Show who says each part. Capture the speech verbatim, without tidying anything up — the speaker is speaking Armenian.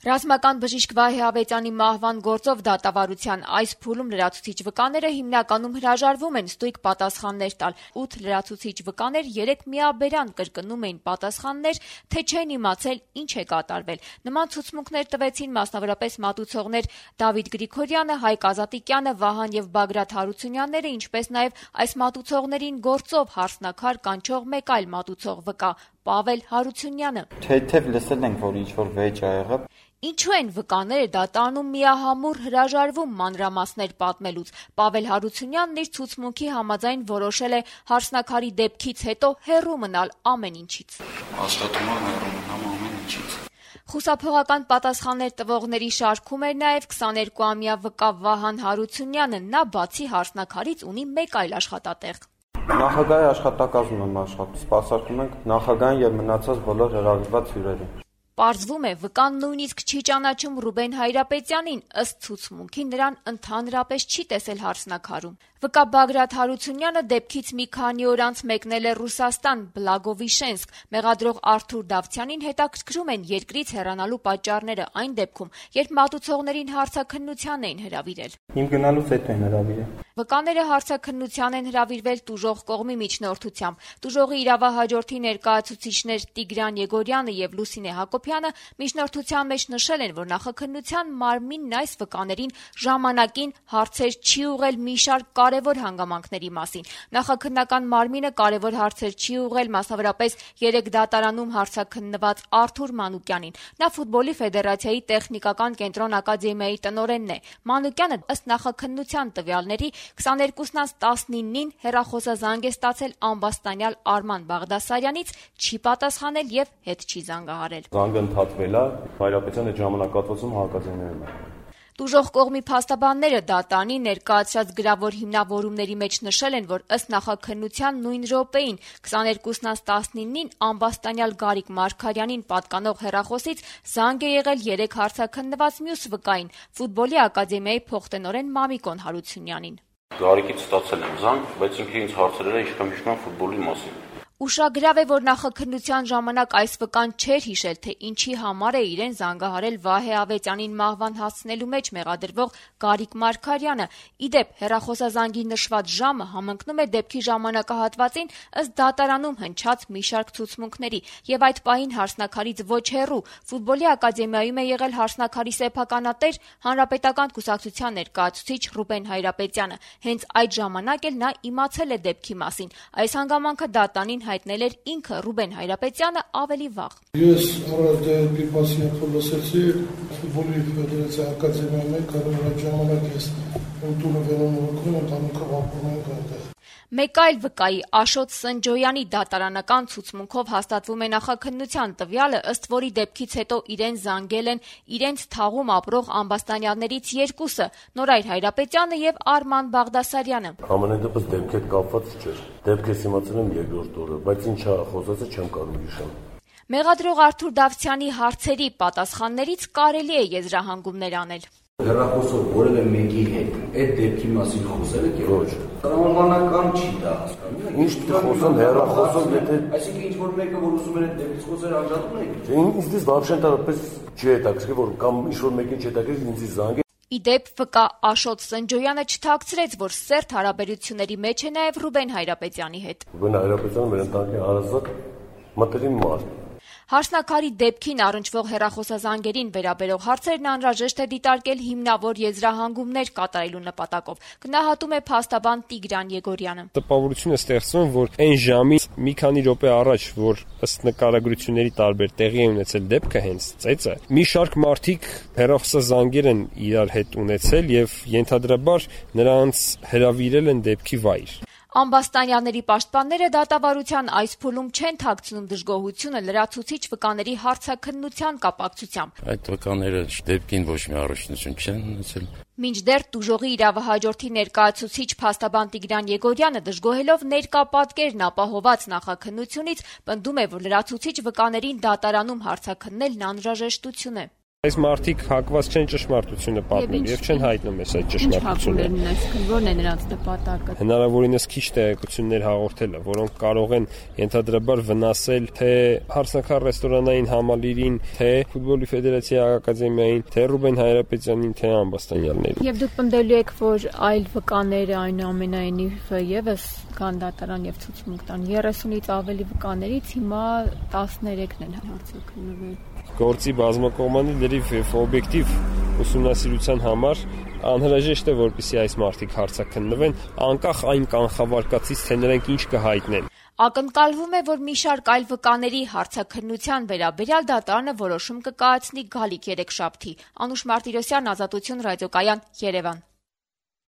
Speaker 1: Ռազմական բժիշկ Վահե Ավետյանի մահվան գործով դատավարության այս փուլում լրացուցիչ վկաները հիմնականում հրաժարվում են ստույգ պատասխաններ տալ։ ութ լրացուցիչ վկաներ երեկ միաբերան կրկնում էին պատասխաններ, թե չեն իմացել ինչ է կատարվել։ Նման ցուցմունքներ տվեցին մասնավորապես մատուցողներ Դավիթ Գրիգորյանը, Հայկ Ազատիկյանը, Վահան եւ Բագրատ Հարությունյանները, ինչպես նաեւ այս մատուցողներին գործով հարցնաքար կանչող մեկ այլ մատուցող վկա Պավել Հարությունյանը։
Speaker 2: Թեթև լսել ենք, որ ինչ-որ վեճ ա եղել։
Speaker 1: Ինչու են վկաները դատարանում միահամուռ հրաժարվում մանրամասներ պատմելուց։ Պավել Հարությունյանն իր ցուցմունքի համաձայն որոշել է հարցնաքարի դեպքից հետո հեռու մնալ ամեն ինչից։
Speaker 3: Աշխատում եմ հեռու մնամ ամեն ինչից։
Speaker 1: Խուսափողական պատասխաններ տվողների շարքում էր նաև քսաներկուամյա վկա Վահան Հարությունյանը։ Նա բացի հարցնաքարից ունի մեկ այլ աշխատատեղ։
Speaker 2: Նախագահի աշխատակազմում եմ աշխատում, սպասարկում ենք նախագահային եւ մնացած բոլոր հրավիրված հյուրերին։
Speaker 1: Պարզվում է, վկան նույնիսկ չի ճանաչում Ռուբեն Հայրապետյանին, ըստ ցուցմունքի նրան ընդհանրապես չի տեսել հարցնաքարում։ Վկա Բագրատ Հարությունյանը դեպքից մի քանի օր անց մեկնել է Ռուսաստան, Բլագովիշենսկ։ Մեղադրող Արթուր Դավթյանին հետաքրքրում են երկրից հեռանալու պատճառները այն դեպքում, երբ մատուցողներին հարցաքննության էին հրավիրել։
Speaker 2: Իմ գնալուց հետո են հրավիրել։
Speaker 1: Վկաները հարցաքննության են հրավիրվել տուժող կողմի միջնորդությամբ։ Տուժողի իրավահաջորդի ներկայացուցիչներ Տիգրան Եգորյանը եւ Լուսինե Հակոբյանը միջնորդության մեջ նշել են, որ նախաքննության մարմինն այս վկաներին ժամանակին հարցեր չի ուղղել մի շարք կարևոր հանգամանքների մասին։ Նախաքննական մարմինը կարևոր հարցեր չի ուղղել մասնավորապես երեք դատարանում հարցաքննված Արթուր Մանուկյանին։ Նա ֆուտբոլի ֆեդերացիայի տեխնիկական կենտրոն ակադեմիայի տնօրենն է։ Մանուկյանը ըստ նախաքննության տվյալների քսաներկուսն անց տասնինին հեռախոսազանգ է ստացել ամբաստանյալ Արման Բաղդասարյանից, չի պատասխանել եւ հետ չի զանգահարել։
Speaker 4: Զանգը ընդհատվել է, Հայրապետյանը ժամանակատվացում հակազենայում է։
Speaker 1: Տուժող կողմի փաստաբանները դատարանի ներկայացրած գրավոր հիմնավորումների մեջ նշել են, որ ըստ նախաքննության նույն րոպեին քսաներկուսն անց տասնինին ամբաստանյալ Գարիկ Մարգարյանին պատկանող հեռախոսից զանգ է եղել երեք հարցաքննված մյուս վկային՝ ֆուտբոլի ակադեմիայի փոխտնօրեն Մամիկոն Հարությունյանին։
Speaker 3: Գարիկից ստացել եմ զանգ, բայց ինքը ինձ հարցրել է իշքան-իշքան ֆուտբոլի մասին։
Speaker 1: Ուշագրավ է, որ նախաքննության ժամանակ այս վկան չէր հիշել, թե ինչի համար է իրեն զանգահարել Վահե Ավետյանին մահվան հասցնելու մեջ մեղադրվող Գարիկ Մարգարյանը։ Իդեպ, հեռախոսազանգի նշված ժամը համընկնում է դեպքի ժամանակահատվածին ըստ դատարանում հնչած մի շարք ցուցմունքների, եւ այդ պահին հարցնաքարից ոչ հեռու ֆուտբոլի ակադեմիայում է եղել հարցնաքարի սեփականատեր Հանրապետական կուսակցության ներկայացուցիչ Ռուբեն Հայրապետյանը։ Հենց այդ ժամանակ էլ նա իմացել է դեպքի մասին։ Այս հանգամանքը դատարանին հայտնել էր ինքը Ռուբեն Հայրապետյանը ավելի վաղ։
Speaker 5: Ես առանց դեպի մասնիկը լսեցի ֆուտբոլի ֆեդերացիայի ակադեմիայում եմ կարող այդ ժամանակ ես ընդունը վերանորոգում եմ տանուկով ապրում ենք այնտեղ։
Speaker 1: Մեկ այլ վկայի Աշոտ Սնջոյանի դատարանական ցուցմունքով հաստատվում է նախաքննության տվյալը, ըստ որի դեպքից հետո իրեն զանգել են իրենց թաղում ապրող ամբաստանյալներից երկուսը՝ Նորայր Հայրապետյանը եւ Արման Բաղդասարյանը։
Speaker 4: Ամենայն դեպս դեպքի հետ կապված չէր։ Դեպքից իմացել եմ երկրորդ օրը, բայց ինչա խոսածը չեմ կարող հիշել։
Speaker 1: Մեղադրող Արթուր Դավթյանի հարցերի պատասխաններից կարելի է եզրահանգումներ անել։
Speaker 6: Հեռախոսով որևէ մեկի հետ այդ դեպքի մասին խոսել եք ոչ։ Տրամաբանական չի դա հասկանում։
Speaker 4: Ինչ խոսում հեռախոսով, եթե
Speaker 6: այսինքն ինչ որ մեկը որ ուզում էր այդ դեպքից խոսել անջատում եք։
Speaker 4: Ինձ դες вообще տարապես չի հետաքրքրի, որ կամ ինչ որ մեկին չհետաքրքրի ինձ զանգ։
Speaker 1: Իդեպ վկա Աշոտ Սնջոյանը չթաքցրեց, որ սերտ հարաբերությունների մեջ է նաև Ռուբեն Հայրապետյանի հետ։
Speaker 4: Ռուբեն Հայրապետյանը մեր ընտանիքի հարազատ մտերիմ մարդ։
Speaker 1: Հարցնաքարի դեպքին առնչվող հեռախոսազանգերին վերաբերող հարցերն անհրաժեշտ է դիտարկել հիմնավոր եզրահանգումներ կատարելու նպատակով, գնահատում է փաստաբան Տիգրան Եգորյանը։
Speaker 7: Տպավորություն է ստեղծվում, որ այն ժամից մի քանի րոպե առաջ, որ ըստ նկարագրությունների տարբեր տեղի է ունեցել դեպքը հենց ծեծը, մի շարք մարդիկ հեռախոսազանգեր են իրար հետ ունեցել եւ ենթադրաբար նրանց հրավիրել են դեպքի վայր։
Speaker 1: Ամբաստանյալների պաշտպանները դատավարության այս փուլում չեն թաքցնում դժգոհությունը լրացուցիչ վկաների հարցաքննության կապակցությամբ։
Speaker 3: Այդ վկաները դեպքին ոչ մի առնչություն չեն ունեցել։
Speaker 1: Մինչդեռ տուժողի իրավահաջորդի ներկայացուցիչ փաստաբան Տիգրան Եգորյանը դժգոհելով ներկա պատկերն ապահոված նախաքննությունից պնդում է, որ լրացուցիչ վկաներին դատարանում հարցաքննելն անհրաժեշտություն է։
Speaker 7: Այս մարդիկ հակված չեն ճշմարտությունը պատմել եւ չեն հայտնում այս այդ ճշմարտությունը։
Speaker 1: Ո՞րն է նրանց նպատակը։
Speaker 7: Հնարավորինս քիչ տեղեկություններ հաղորդելը, որոնք կարող են ենթադրաբար վնասել թե հարսնաքար ռեստորանային համալիրին, թե ֆուտբոլի ֆեդերացիայի ակադեմիային, թե Ռուբեն Հայրապետյանին, թե Ամբաստանյաններին։
Speaker 1: Եվ դուք պնդելու եք, որ այլ վկաները այնուամենայնիվ եւս կան դատարան եւ ցուցմունք տան երեսունից ավելի վկաներից հիմա տասներեքն են հարցաքննվել։
Speaker 7: Գործի բազմակողմանի լրիվ եւ օբյեկտիվ ուսումնասիրության համար անհրաժեշտ է, որպեսզի այս մարդիկ հարցաքննվեն, անկախ այն կանխավարկածից, թե նրանք ինչ կհայտնեն։
Speaker 1: Ակնկալվում է, որ մի շարք այլ վկաների հարցաքննության վերաբերյալ դատարանը որոշում կկայացնի գալիք երեքշաբթի։ Անուշ Մարտիրոսյան, Ազատություն ռադիոկայան, Երևան։